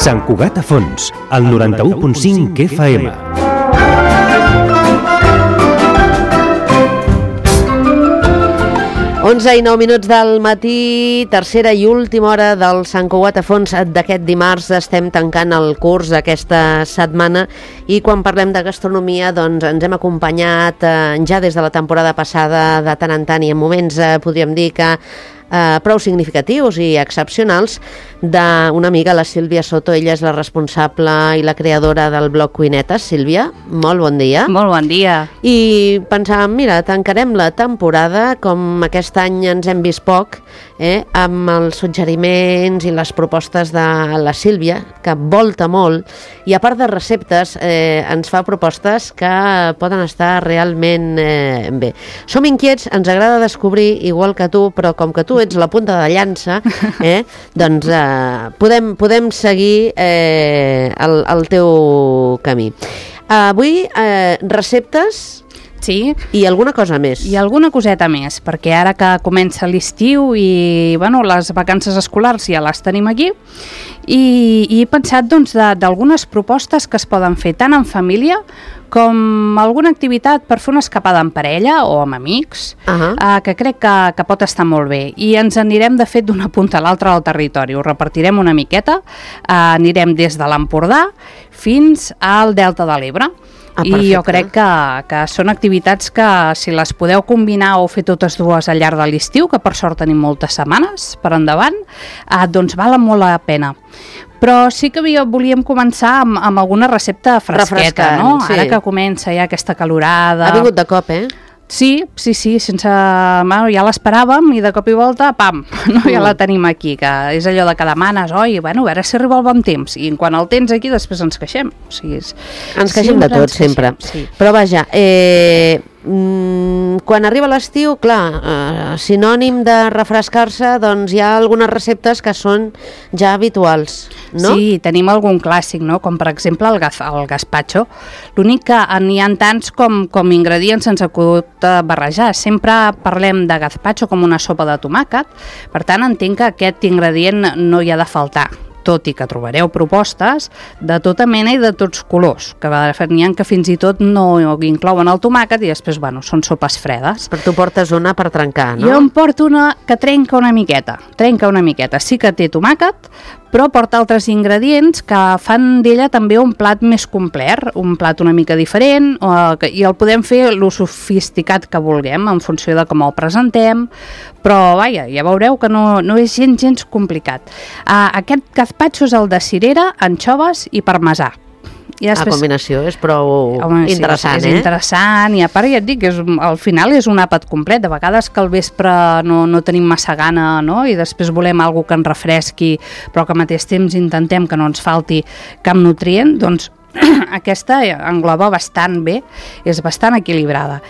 Sant Cugat a Fons, al 91.5 FM. Onze i 9 minuts del matí, tercera i última hora del Sant Cugat a Fons d'aquest dimarts. Estem tancant el curs d'aquesta setmana i quan parlem de gastronomia doncs ens hem acompanyat ja des de la temporada passada de tant en tant i en moments podríem dir que prou significatius i excepcionals d'una amiga, la Sílvia Soto. Ella és la responsable i la creadora del blog Cuinetes. Sílvia, molt bon dia. Molt bon dia. I pensàvem, mira, tancarem la temporada, com aquest any ens hem vist poc, amb els suggeriments i les propostes de la Sílvia, que volta molt, i a part de receptes ens fa propostes que poden estar realment bé. Som inquiets, ens agrada descobrir, igual que tu, però com que tu ets la punta de llança, doncs podem seguir el teu camí. Avui, receptes... Sí. I alguna cosa més. I alguna coseta més, perquè ara que comença l'estiu i les vacances escolars ja les tenim aquí, i he pensat d'algunes propostes que es poden fer tant en família com alguna activitat per fer una escapada en parella o amb amics, que crec que pot estar molt bé. I ens anirem, de fet, d'una punta a l'altra del territori. Ho repartirem una miqueta, anirem des de l'Empordà fins al Delta de l'Ebre. I jo crec que són activitats que, si les podeu combinar o fer totes dues al llarg de l'estiu, que per sort tenim moltes setmanes per endavant, doncs valen molt la pena. Però sí que volíem començar amb alguna recepta fresqueta, no? Sí. Ara que comença ja aquesta calorada... Ha vingut de cop, Sí, sense... ja l'esperàvem i de cop i volta, pam, ja la tenim aquí, que és allò de que demanes, a veure si arriba el bon temps, i quan el tens aquí després ens queixem. O sigui, ens queixem de tot, sempre. Sí. Però vaja, quan arriba l'estiu, clar, sinònim de refrescar-se, doncs hi ha algunes receptes que són ja habituals, no? Sí, tenim algun clàssic, no? Com per exemple el gazpacho. L'únic que n'hi ha tants com ingredients sense acut barrejar. Sempre parlem de gazpacho com una sopa de tomàquet, per tant entenc que aquest ingredient no hi ha de faltar, tot i que trobareu propostes de tota mena i de tots colors, que de fet n'hi ha que fins i tot no inclouen el tomàquet i després, són sopes fredes. Però tu portes una per trencar, no? Jo em porto una que trenca una miqueta. Sí que té tomàquet, però porta altres ingredients que fan d'ella també un plat més complet, un plat una mica diferent, i el podem fer lo sofisticat que vulguem, en funció de com el presentem, però ja veureu que no és gens complicat. Aquest gazpacho és el de cirera, anxoves i parmesà. La combinació és prou interessant, és interessant, i a part ja et dic, al final és un àpat complet. De vegades que al vespre no tenim massa gana, no? I després volem alguna que ens refresqui, però que al mateix temps intentem que no ens falti cap nutrient, doncs aquesta engloba bastant bé, és bastant equilibrada.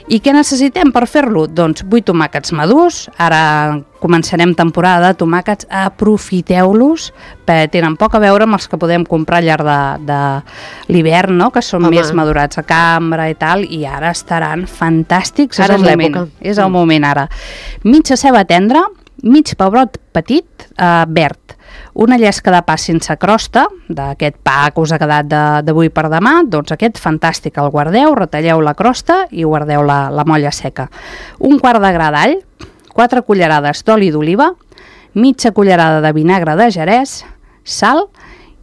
I què necessitem per fer-lo? Doncs 8 tomàquets madurs, ara començarem temporada de tomàquets, aprofiteu-los, perquè tenen poc a veure amb els que podem comprar al llarg de l'hivern, no? Que són més madurats a cambra i tal, i ara estaran fantàstics. Ara és l'època. És el moment ara. Mitja ceba tendra, mig pebrot petit, verd, una llesca de pa sense crosta, d'aquest pa que us ha quedat d'avui per demà, doncs aquest fantàstic, el guardeu, retalleu la crosta i guardeu la molla seca. Un quart de gra d'all, 4 cullerades d'oli d'oliva, mitja cullerada de vinagre de Jerez, sal,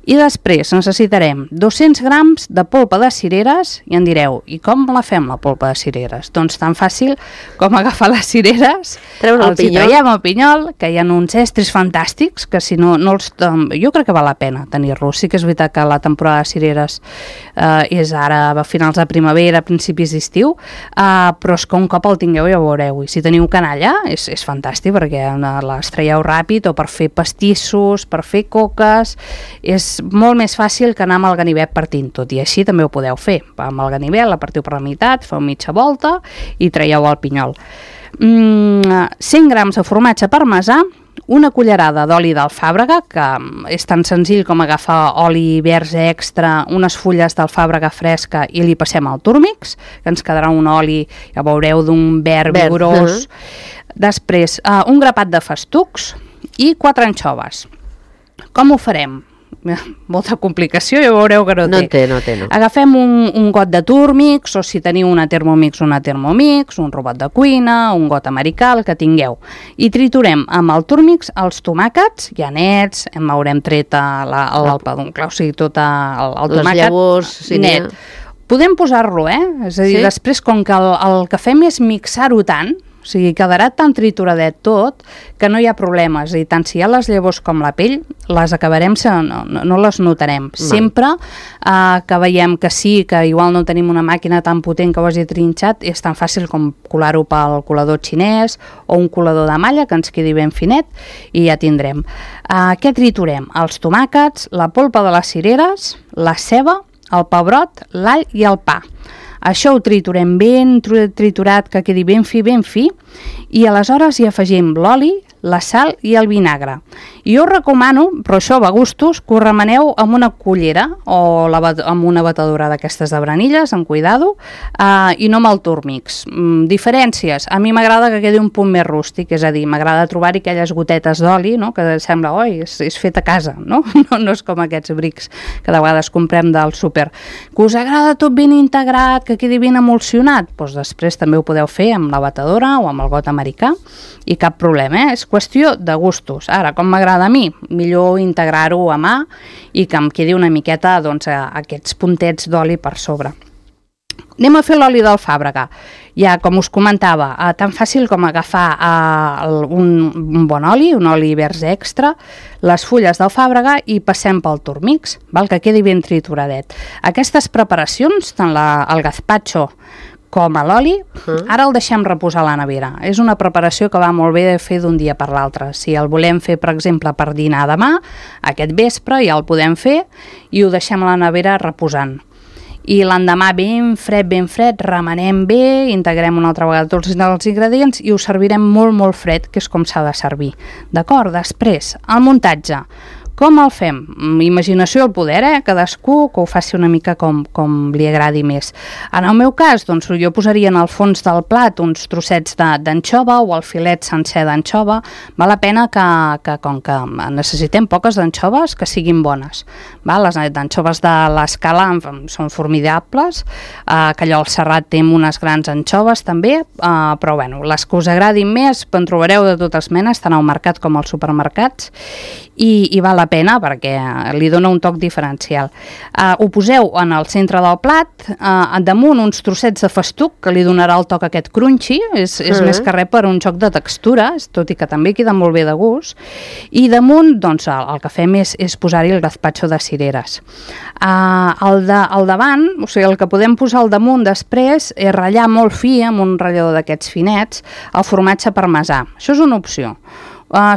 i després necessitarem 200 grams de polpa de cireres, i em direu, i com la fem la polpa de cireres? Doncs tan fàcil com agafar les cireres, els hi traiem el pinyol, que hi ha uns estris fantàstics, que si no els... Jo crec que val la pena tenir-los. Sí que és veritat que la temporada de cireres és ara a finals de primavera, principis d'estiu, però és que un cop el tingueu ja ho veureu, i si teniu canalla és fantàstic, perquè les traieu ràpid, o per fer pastissos, per fer coques, és molt més fàcil que anar amb el ganivet partint tot, i així també ho podeu fer. Amb el ganivet la partiu per la meitat, feu mitja volta i traieu el pinyol. 100 grams de formatge parmesà, una cullerada d'oli d'alfàbrega, que és tan senzill com agafar oli verge extra, unes fulles d'alfàbrega fresca i li passem al túrmix, que ens quedarà un oli, ja veureu, d'un verd vigorós. Després, un grapat de festucs i 4 anxoves. Com ho farem? molta complicació, ja veureu que no té. No té. Agafem un got de Turmix, o si teniu una Thermomix, un robot de cuina, un got americà, el que tingueu. I triturem amb el Turmix els tomàquets, ja nets, haurem tret el peduncle, o sigui, tot el tomàquet les llavors, net. Podem posar-lo, És a dir, després, com que el que fem és mixar-ho tant, o sigui, quedarà tan trituradet tot que no hi ha problemes. I tant si hi ha les llavors com la pell, les acabarem, no les notarem. Sempre que veiem que sí, que igual no tenim una màquina tan potent que ho hagi trinxat, és tan fàcil com colar-ho pel colador xinès o un colador de malla que ens quedi ben finet i ja tindrem. Què triturem? Els tomàquets, la polpa de les cireres, la ceba, el pebrot, l'all i el pa. Això ho triturem ben triturat, que quedi ben fi, i aleshores hi afegim l'oli, la sal i el vinagre. I jo us recomano, però això va a gustos, que ho remeneu amb una cullera o amb una batedora d'aquestes de branilles, amb cuidado, i no amb el Turmix. Diferències. A mi m'agrada que quedi un punt més rústic, és a dir, m'agrada trobar-hi aquelles gotetes d'oli, no? Que sembla, és fet a casa, no? No és com aquests brics que de vegades comprem del súper. Que us agrada tot ben integrat, que quedi ben emulsionat? Doncs després també ho podeu fer amb la batedora o amb el got americà i cap problema, És qüestió de gustos. Ara, com m'agrada a mi, millor integrar-ho a mà i que em quedi una miqueta, doncs, aquests puntets d'oli per sobre. Anem a fer l'oli d'alfàbrega. Ja, com us comentava, tan fàcil com agafar un bon oli, un oli vers extra, les fulles d'alfàbrega i passem pel Turmix, que quedi ben trituradet. Aquestes preparacions, tant el gazpacho com a l'oli, ara el deixem reposar a la nevera. És una preparació que va molt bé de fer d'un dia per l'altre. Si el volem fer, per exemple, per dinar demà, aquest vespre ja el podem fer i ho deixem a la nevera reposant. I l'endemà ben fred, remenem bé, integrem una altra vegada tots els ingredients i ho servirem molt, molt fred, que és com s'ha de servir. D'acord? Després, el muntatge. Com el fem? Imaginació al poder, cadascú que ho faci una mica com li agradi més. En el meu cas, doncs, jo posaria en el fons del plat uns trossets d'anxova o el filet sencer d'anxova. Val la pena que com que necessitem poques anxoves, que siguin bones. Les anxoves de l'Escala són formidables, que allò al Serrat té unes grans anxoves també, però bueno, les que us agradin més en trobareu de totes menes, tant al mercat com als supermercats, i val la pena perquè li dona un toc diferencial. Ho poseu en el centre del plat, damunt uns trossets de festuc que li donarà el toc aquest crunchy, és més que res per un joc de textures, tot i que també queda molt bé de gust, i damunt doncs, el que fem és posar-hi el gazpacho de cireres. Al davant, o sigui, el que podem posar al damunt després és ratllar molt fi amb un ratllador d'aquests finets el formatge parmesà. Això és una opció.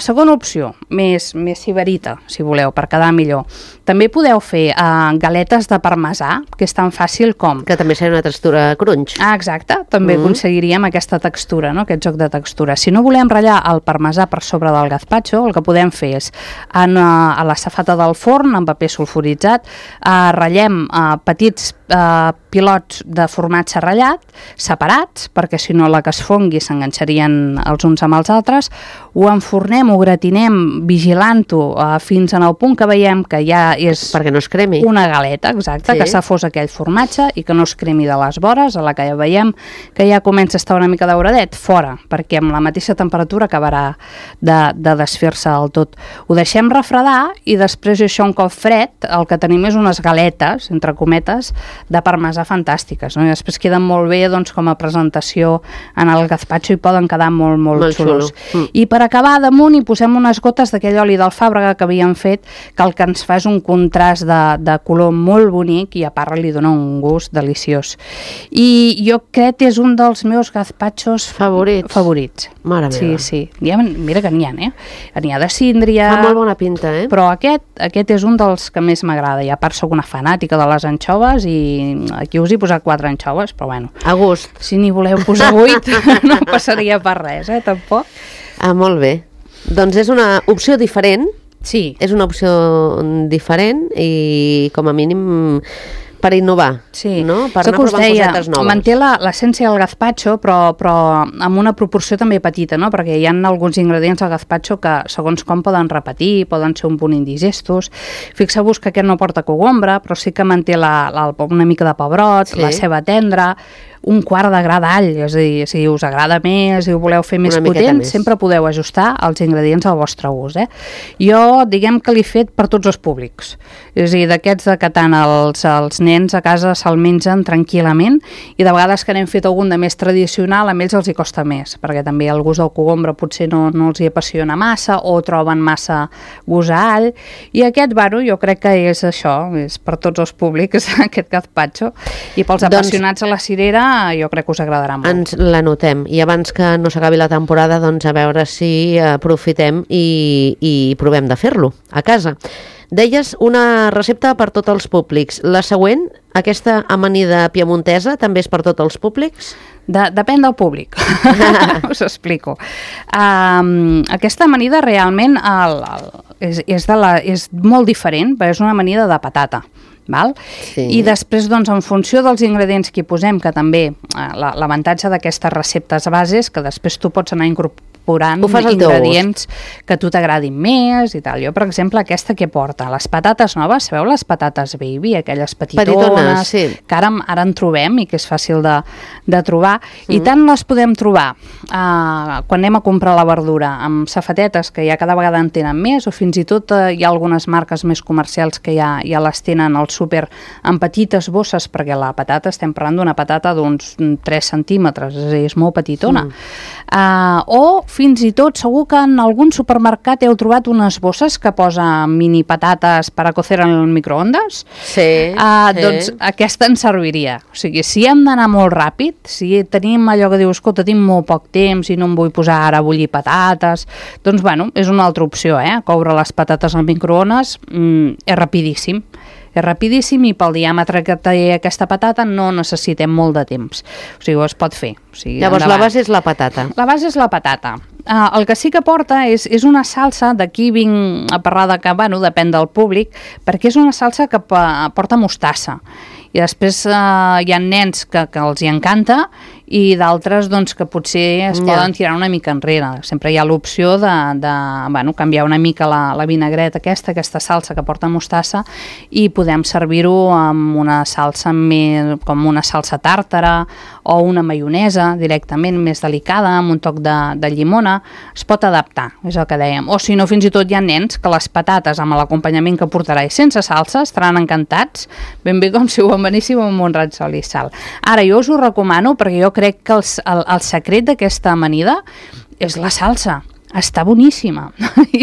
Segona opció, més sibarita, si voleu, per quedar millor. També podeu fer galetes de parmesà, que és tan fàcil com... Que també seria una textura crunch. Exacte, també aconseguiríem aquesta textura, no? Aquest joc de textura. Si no volem ratllar el parmesà per sobre del gazpacho, el que podem fer és a la safata del forn, amb paper sulfuritzat, ratllem petits pilots de formatge ratllat, separats, perquè si no la que es fongui s'enganxarien els uns amb els altres, ho enfornem, ho gratinem, vigilant-ho fins en el punt que veiem que ja és... Perquè no es cremi. Una galeta, exacte, que s'ha fos aquell formatge i que no es cremi de les vores, a la que ja veiem que ja comença a estar una mica dauradet, fora, perquè amb la mateixa temperatura acabarà de desfer-se del tot. Ho deixem refredar i després això un cop fred, el que tenim és unes galetes, entre cometes, de parmesà fantàstiques, no? I després queden molt bé, doncs, com a presentació en el gazpacho i poden quedar molt xulos. I per acabar, damunt hi posem unes gotes d'aquell oli d'alfàbrega que havíem fet, que el que ens fa és un contrast de color molt bonic i a part li dona un gust deliciós. I jo crec que és un dels meus gazpachos favorits. Mare meva. Sí. Mira que n'hi ha, N'hi ha de síndria... Fa molt bona pinta, Però aquest és un dels que més m'agrada. I a part soc una fanàtica de les anxoves i aquí us he posat 4 anxoves, però bueno. A gust. Si n'hi voleu posar 8, no passaria per res, tampoc. Molt bé. Doncs és una opció diferent. Sí. És una opció diferent i com a mínim per innovar, Sí, no? Per això anar que us provant deia, cosetes noves. manté l'essència del gazpacho, però amb una proporció també petita, no? Perquè hi ha alguns ingredients al gazpacho que, segons com, poden repetir, poden ser un punt indigestos. Fixeu-vos que aquest no porta cogombre, però sí que manté una mica de pebrot, la ceba tendra, un quart de gra d'all, és a dir, si us agrada més, si ho voleu fer més potent, sempre podeu ajustar els ingredients al vostre gust. Jo, diguem que l'he fet per tots els públics. És a dir, d'aquests que tant els nens a casa se'l mengen tranquil·lament, i de vegades que n'hem fet algun de més tradicional, a ells els hi costa més, perquè també el gust del cogombre potser no els hi apassiona massa, o troben massa gust a all, i aquest, bueno, jo crec que és això, és per tots els públics, aquest gazpacho, i pels apassionats a la cirera jo crec que us agradarà molt. Ens l'anotem, i abans que no s'acabi la temporada, doncs a veure si aprofitem i provem de fer-lo a casa. Deies una recepta per tots els públics. La següent, aquesta amanida piemontesa, també és per tots els públics? Depèn del públic, us explico. Aquesta amanida realment és molt diferent, perquè és una amanida de patata. Val? Sí. I després, doncs, en funció dels ingredients que hi posem, que també l'avantatge d'aquestes receptes bases, que després tu pots anar incorporant ingredients que a tu t'agradin més i tal. Jo, per exemple, aquesta que porta, les patates noves, sabeu les patates baby, aquelles petitones, sí, que ara en trobem i que és fàcil de trobar, i tant les podem trobar quan anem a comprar la verdura amb safatetes, que ja cada vegada en tenen més, o fins i tot hi ha algunes marques més comercials que ja les tenen al súper en petites bosses, perquè la patata, estem parlant d'una patata d'uns 3 centímetres, és a dir, és molt petitona. O fins i tot, segur que en algun supermercat heu trobat unes bosses que posa mini patates per a cocer en el microondes. Sí. Doncs aquesta ens serviria. O sigui, si hem d'anar molt ràpid, si tenim allò que diu, escolta, tinc molt poc temps i no em vull posar ara a bullir patates, doncs, bueno, és una altra opció, coure les patates al microones és rapidíssim. És rapidíssim i pel diàmetre que té aquesta patata no necessitem molt de temps. O sigui, es pot fer. O sigui, llavors la base és la patata. La base és la patata. El que sí que porta és una salsa, d'aquí vinc a parlar de que, bueno, depèn del públic, perquè és una salsa que porta mostassa. I després hi ha nens que els hi encanta i d'altres doncs, que potser es poden tirar una mica enrere. Sempre hi ha l'opció de canviar una mica la vinagreta aquesta salsa que porta mostassa, i podem servir-ho amb una salsa com una salsa tàrtara o una maionesa directament més delicada, amb un toc de llimona. Es pot adaptar, és el que dèiem. O si no, fins i tot hi ha nens que les patates amb l'acompanyament que portarà i sense salsa estaran encantats, ben bé com si ho beníssim amb un raig d'oli i sal. Ara, jo us ho recomano perquè jo crec que el secret d'aquesta amanida és la salsa. Està boníssima.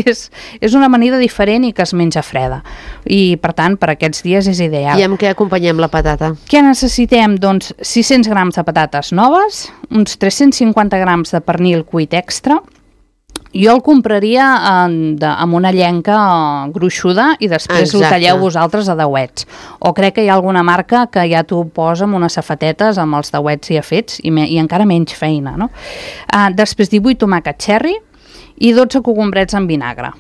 És una amanida diferent i que es menja freda. I, per tant, per aquests dies és ideal. I amb què acompanyem la patata? Què necessitem? Doncs 600 grams de patates noves, uns 350 grams de pernil cuit extra. Jo el compraria amb una llenca gruixuda i després ho talleu vosaltres a dauets. O crec que hi ha alguna marca que ja t'ho posa amb unes safatetes amb els dauets ja fets i encara menys feina, no? Després 18 tomàquets cherry i 12 cogombrets en vinagre.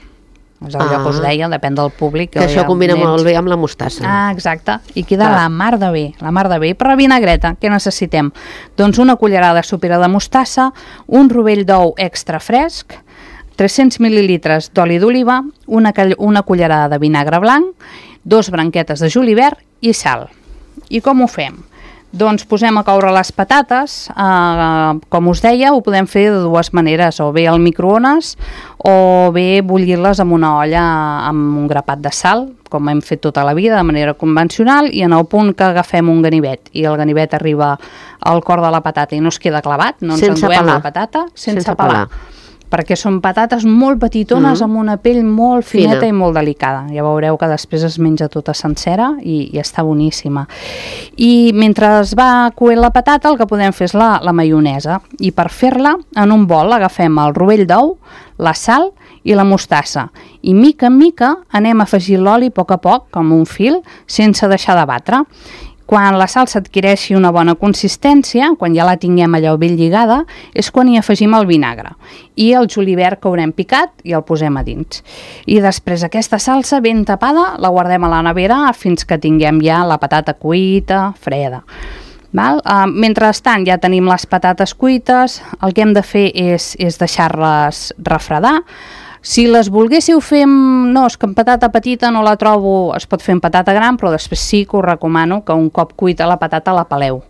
És allò que us deia, depèn del públic. Que això combina molt bé amb la mostassa. Exacte, i queda la mar de bé, la mar de bé. I per la vinagreta, què necessitem? Doncs una cullerada sopera de mostassa, un rovell d'ou extra fresc, 300 mil·lilitres d'oli d'oliva, una cullerada de vinagre blanc, 2 branquetes de julivert i sal. I com ho fem? Doncs posem a coure les patates, com us deia, ho podem fer de dues maneres, o bé al microones o bé bullir-les en una olla amb un grapat de sal, com hem fet tota la vida de manera convencional, i en el punt que agafem un ganivet i el ganivet arriba al cor de la patata i no es queda clavat, no ens enduem la patata sense pelar. Perquè són patates molt petitones amb una pell molt fineta i molt delicada. Ja veureu que després es menja tota sencera i està boníssima. I mentre es va coent la patata, el que podem fer és la maionesa. I per fer-la, en un bol agafem el rovell d'ou, la sal i la mostassa. I mica en mica anem afegint l'oli a poc, com un fil, sense deixar de batre. Quan la salsa adquireixi una bona consistència, quan ja la tinguem allò ben lligada, és quan hi afegim el vinagre i el julivert que haurem picat i el posem a dins. I després aquesta salsa ben tapada la guardem a la nevera fins que tinguem ja la patata cuita, freda. Val? Mentrestant ja tenim les patates cuites, el que hem de fer és deixar-les refredar. Si les volguéssiu fer, no, és que en patata petita no la trobo, es pot fer en patata gran, però després sí que us recomano que un cop cuita la patata la peleu.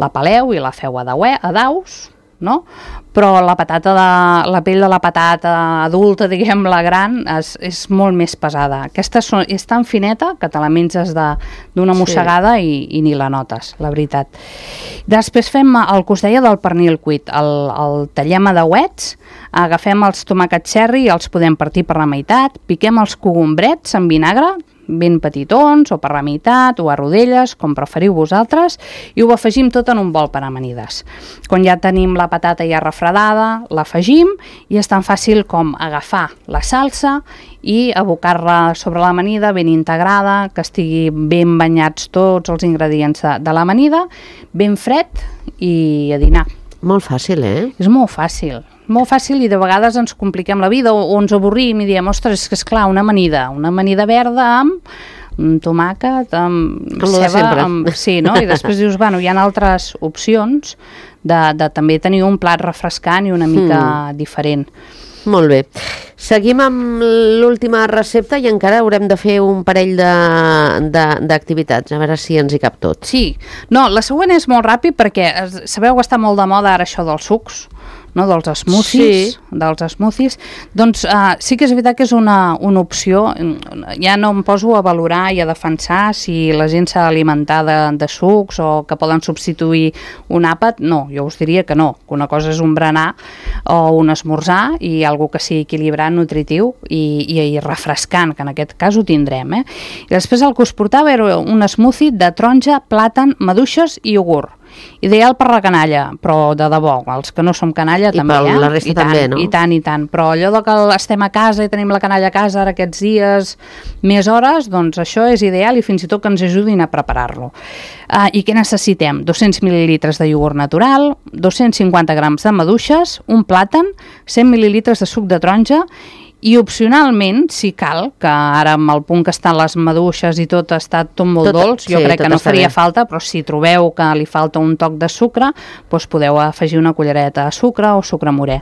La peleu i la feu a daus, no? Però la pell de la patata adulta, diguem, la gran, és molt més pesada. Aquesta és tan fineta que te la menges d'una mossegada i ni la notes, la veritat. Després fem el que us deia del pernil cuit. El tallem a dauets, agafem els tomàquets cherry i els podem partir per la meitat, piquem els cogombrets amb vinagre, ben petitons o per la meitat o a rodelles, com preferiu vosaltres, i ho afegim tot en un bol per amanides. Quan ja tenim la patata ja refredada, l'afegim i és tan fàcil com agafar la salsa i abocar-la sobre l'amanida ben integrada, que estigui ben banyats tots els ingredients de l'amanida, ben fred i a dinar. Molt fàcil, És molt fàcil i de vegades ens compliquem la vida o ens avorrim i diem, ostres, és clar, una amanida verda amb tomàquet, amb ceba, sí, no? I després dius, bueno, hi ha altres opcions de també tenir un plat refrescant i una mica diferent. Molt bé. Seguim amb l'última recepta i encara haurem de fer un parell d'activitats, a veure si ens hi cap tot. Sí. No, la següent és molt ràpid perquè sabeu que està molt de moda ara això dels sucs, no? Dels smoothies, doncs sí que és veritat que és una opció. Ja no em poso a valorar i a defensar si la gent s'ha d'alimentar de sucs o que poden substituir un àpat. No, jo us diria que no, que una cosa és un berenar o un esmorzar i algo que sigui equilibrat, nutritiu i refrescant, que en aquest cas ho tindrem. I després el que us portava era un smoothie de taronja, plàtan, maduixes i iogurt. Ideal per la canalla, però de debò, els que no som canalla també, per la resta també, no? I tant, però allò de que estem a casa i tenim la canalla a casa ara aquests dies, més hores, doncs això és ideal i fins i tot que ens ajudin a preparar-lo. I què necessitem? 200 mil·lilitres de iogurt natural, 250 grams de maduixes, un plàtan, 100 mil·lilitres de suc de taronja i opcionalment, si cal, que ara amb el punt que estan les maduixes i tot està tot molt dolç, jo crec que no faria falta, però si trobeu que li falta un toc de sucre, doncs podeu afegir una cullereta de sucre o sucre morè.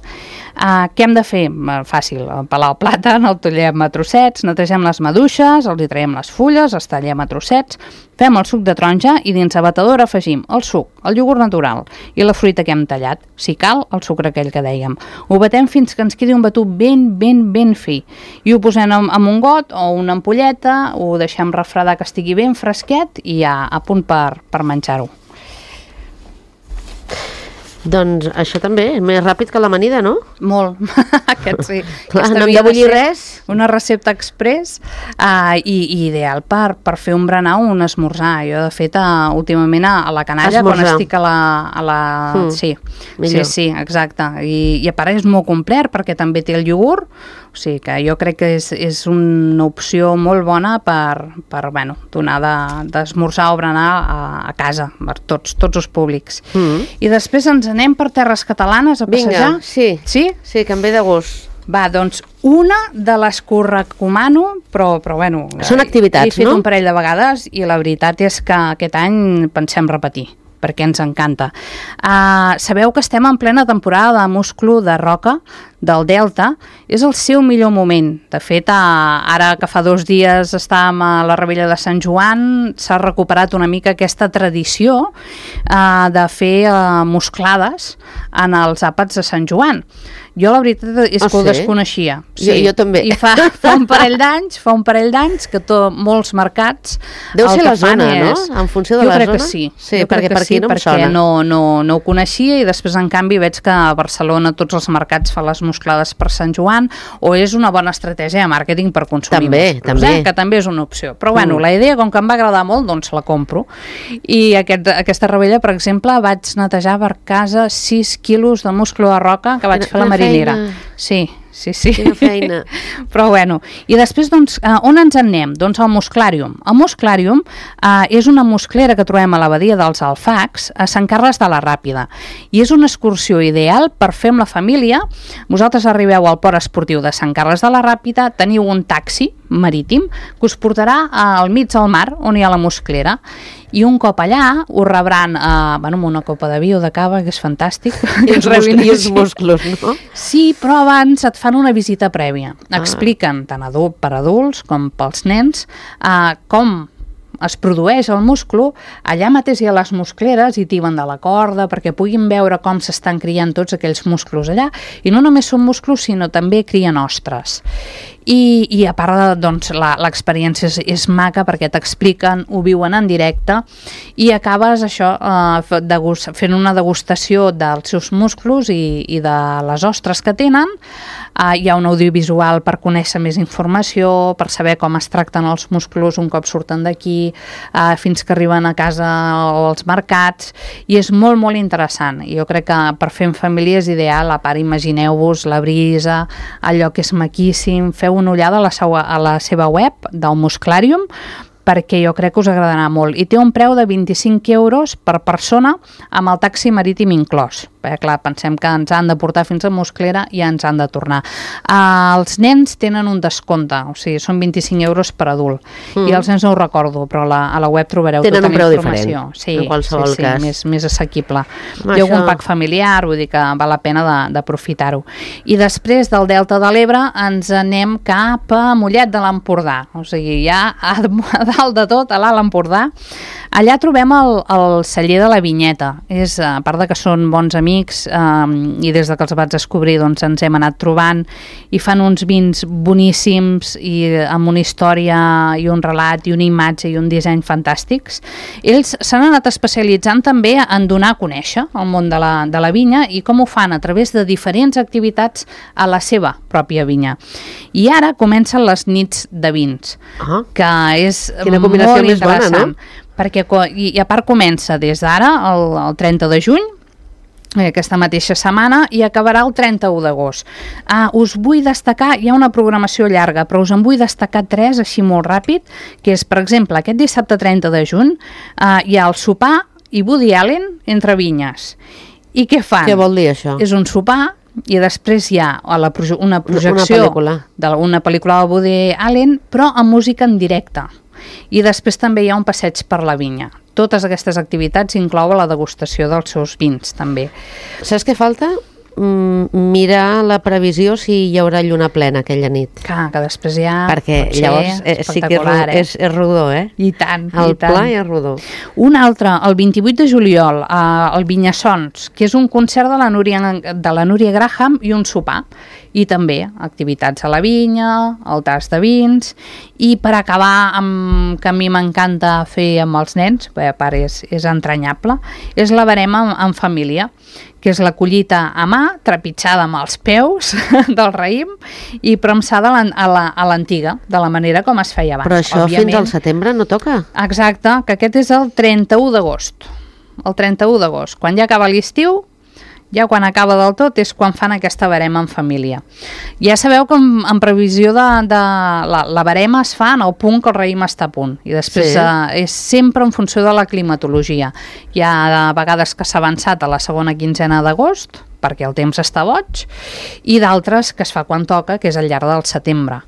Què hem de fer? Fàcil, pelar el plàtan, el tallem a trossets, netegem les maduixes, els hi traiem les fulles, els tallem a trossets, fem el suc de taronja i dins la batedora afegim el suc, el iogurt natural i la fruita que hem tallat, si cal, el sucre aquell que dèiem. Ho batem fins que ens quedi un batut ben fi i ho posem en un got o una ampolleta, ho deixem refredar que estigui ben fresquet i ja a punt per menjar-ho. Doncs això també, és més ràpid que l'amanida, no? Molt, aquest sí. Clar, no hem de bullir res. Una recepta express i ideal per fer un berenar o un esmorzar. Jo, de fet, últimament a la canalla, quan estic a la... Sí, exacte. I a part és molt complet perquè també té el iogurt, o sigui que jo crec que és una opció molt bona per donar d'esmorzar o berenar a casa, per tots els públics. I després ens anem per terres catalanes a passejar? Vinga, sí, que em ve de gust. Va, doncs, una de les que us recomano, però bueno... Són activitats, no? He fet un parell de vegades i la veritat és que aquest any pensem repetir, perquè ens encanta. Sabeu que estem en plena temporada de musclo de roca del Delta, és el seu millor moment. De fet, ara que fa 2 dies estàvem a la Rebella de Sant Joan, s'ha recuperat una mica aquesta tradició de fer musclades en els àpats de Sant Joan. Jo la veritat és que ho desconeixia. Sí. Jo també. I fa un parell d'anys que molts mercats... Deu ser la zona, no? En funció de la zona? Jo crec que sí. Sí, perquè per aquí no em sona. Perquè no ho coneixia i després, en canvi, veig que a Barcelona tots els mercats fan les musclades per Sant Joan, o és una bona estratègia de màrqueting per consumir també. Que també és una opció. Però bueno, la idea, com que em va agradar molt, doncs la compro. I aquesta Rebella, per exemple, vaig netejar per casa 6 quilos de musclo de roca que vaig fer a la marinera. Sí, sí, sí. Quina feina. Però bueno, i després, doncs, on ens en anem? Doncs al Musclàrium. El Musclàrium és una musclera que trobem a la badia dels Alfacs, a Sant Carles de la Ràpida, i és una excursió ideal per fer amb la família. Vosaltres arribeu al port esportiu de Sant Carles de la Ràpida, teniu un taxi marítim que us portarà al mig del mar, on hi ha la musclera, i un cop allà us rebran amb una copa de vi o de cava, que és fantàstic. I els musclos, no? Sí, però abans et fan una visita prèvia. Expliquen, tant per adults com pels nens, com es produeix el musclo. Allà mateix hi ha les muscleres i tiben de la corda perquè puguin veure com s'estan criant tots aquells musclos allà, i no només són musclos sinó també crien ostres. I a part, doncs, l'experiència és maca perquè t'expliquen, ho viuen en directe, i acabes això fent una degustació dels seus musclos i de les ostres que tenen. Hi ha un audiovisual per conèixer més informació, per saber com es tracten els musclos un cop surten d'aquí, fins que arriben a casa o als mercats, i és molt, molt interessant. Jo crec que per fer en família és ideal. A part, imagineu-vos la brisa, el lloc és maquíssim. Feu una ullada a la seva web del Musclàrium, perquè jo crec que us agradarà molt. I té un preu de 25 euros per persona amb el taxi marítim inclòs. Perquè, clar, pensem que ens han de portar fins a Musclera i ja ens han de tornar. Els nens tenen un descompte, o sigui, són 25 euros per adult. I els nens no ho recordo, però a la web trobareu tota la informació. Tenen un preu diferent, en qualsevol cas. Més assequible. Hi ha algun pack familiar, vull dir que val la pena d'aprofitar-ho. I després del Delta de l'Ebre ens anem cap a Mollet de l'Empordà, o sigui, ja a dalt de tot, a l'Alt Empordà. Allà trobem el celler de la Vinyeta. A part de que són bons amics, i des de que els vaig descobrir doncs ens hem anat trobant, i fan uns vins boníssims i amb una història i un relat i una imatge i un disseny fantàstics. Ells s'han anat especialitzant també en donar a conèixer el món de la vinya, i com ho fan a través de diferents activitats a la seva pròpia vinya. I ara comencen les nits de vins, que és molt interessant, perquè i a part comença des d'ara el 30 de juny, aquesta mateixa setmana, i acabarà el 31 d'agost. Us vull destacar, hi ha una programació llarga, però us en vull destacar 3 així molt ràpid, que és, per exemple, aquest dissabte 30 de juny hi ha el sopar i Woody Allen entre vinyes. I què fan? Què vol dir això? És un sopar i després hi ha una projecció d'una pel·lícula de Woody Allen, però amb música en directe. I després també hi ha un passeig per la vinya. Totes aquestes activitats inclouen la degustació dels seus vins, també. Saps què falta? Mirar la previsió si hi haurà lluna plena aquella nit. Que després ja... Perquè llavors sí que és rodó, eh? I tant, el pla és rodó. Un altre, el 28 de juliol, al Vinyassons, que és un concert de la Núria Graham i un sopar. I també activitats a la vinya, el tast de vins, i per acabar amb que a mi m'encanta fer amb els nens, perquè a part és entranyable, és la verema en família, que és la collita a mà, trepitjada amb els peus del raïm i premsada a l'antiga, de la manera com es feia abans. Però això fins al setembre no toca? Exacte, que aquest és el 31 d'agost. El 31 d'agost, quan ja acaba l'estiu, ja quan acaba del tot és quan fan aquesta verema en família. Ja sabeu que en previsió de la verema es fa en el punt que el raïm està a punt, i després és sempre en funció de la climatologia. Hi ha vegades que s'ha avançat a la segona quinzena d'agost, perquè el temps està boig, i d'altres que es fa quan toca, que és al llarg del setembre.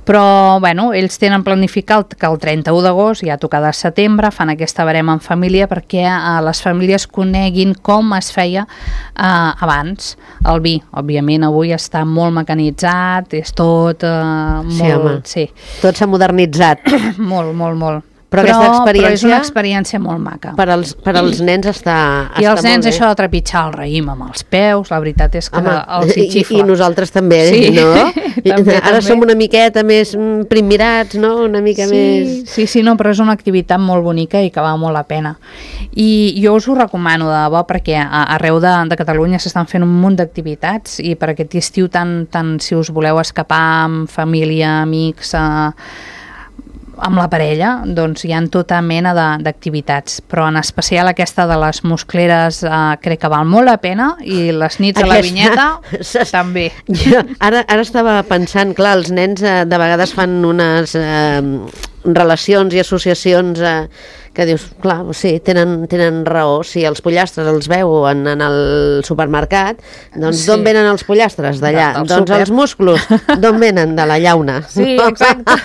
Però, bueno, ells tenen planificat que el 31 d'agost, ja tocada setembre, fan aquesta verema en família perquè les famílies coneguin com es feia abans el vi. Òbviament, avui està molt mecanitzat, és tot molt... Sí. Tot s'ha modernitzat. Molt, molt, molt. Però és una experiència molt maca. Per als nens està I els nens això de trepitjar el raïm amb els peus, la veritat és que els hi xifla. I nosaltres també, no? Ara som una miqueta més primirats, no? Una mica més... Sí, no, però és una activitat molt bonica i que val molt la pena. I jo us ho recomano de debò, perquè arreu de Catalunya s'estan fent un munt d'activitats, i per aquest estiu tant si us voleu escapar amb família, amics, amb la parella, doncs hi ha tota mena d'activitats, però en especial aquesta de les muscleres crec que val molt la pena, i les nits a la vinyeta també. Jo ara estava pensant, clar, els nens de vegades fan unes relacions i associacions que dius, clar, sí, tenen raó, si els pollastres els veuen en el supermercat, doncs d'on venen els pollastres? D'allà. Doncs els músculos, d'on venen? De la llauna. Sí, exacte.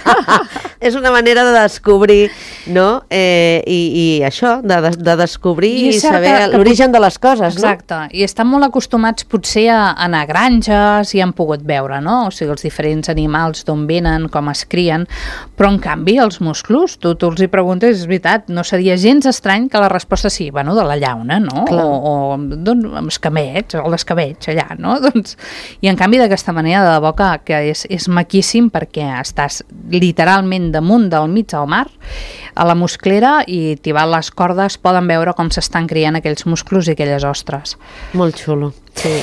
És una manera de descobrir, no? I això, de descobrir i saber l'origen de les coses, no? Exacte, i estan molt acostumats potser a anar a granges i han pogut veure, no? O sigui, els diferents animals d'on venen, com es crien, però en canvi els musclos, tu els hi preguntes, és veritat, no seria gens estrany que la resposta sí, bueno, de la llauna, no? O doncs, escamets, o l'escabetx allà, no? Doncs, i en canvi d'aquesta manera de debò que és maquíssim, perquè estàs literalment damunt del mig del mar, a la musclera, i tibant les cordes poden veure com s'estan criant aquells musclos i aquelles ostres. Molt xulo. Sí.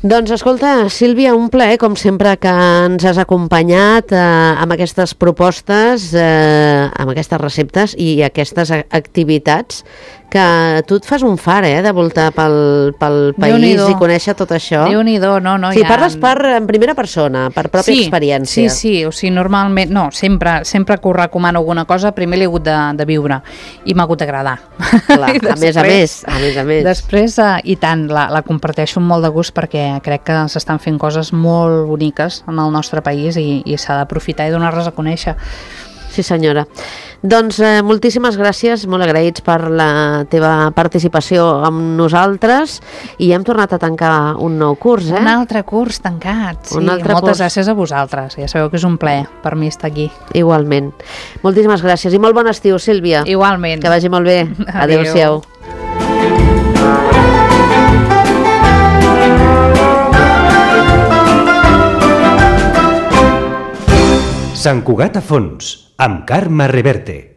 Doncs escolta, Sílvia, un plaer, com sempre, que ens has acompanyat amb aquestes propostes, amb aquestes receptes i aquestes activitats, que tu et fas un far, de voltar pel país i conèixer tot això. Déu-n'hi-do, no, sí, parles en primera persona, per pròpia experiència. Sí, o sigui, normalment, no, sempre que us recomano alguna cosa, primer l'he hagut de viure, i m'ha hagut d'agradar. Clar, després, a més a més. Després, i tant, la comparteixo amb molt de gust, perquè crec que s'estan fent coses molt boniques en el nostre país i s'ha d'aprofitar i donar-les a conèixer. Sí, senyora. Doncs moltíssimes gràcies, molt agraïts per la teva participació amb nosaltres, i hem tornat a tancar un nou curs, Un altre curs tancat, sí. Moltes gràcies a vosaltres, ja sabeu que és un plaer per mi estar aquí. Igualment. Moltíssimes gràcies i molt bon estiu, Sílvia. Igualment. Que vagi molt bé. Adéu-siau. Sant Cugat a fons, amb Carme Reverte.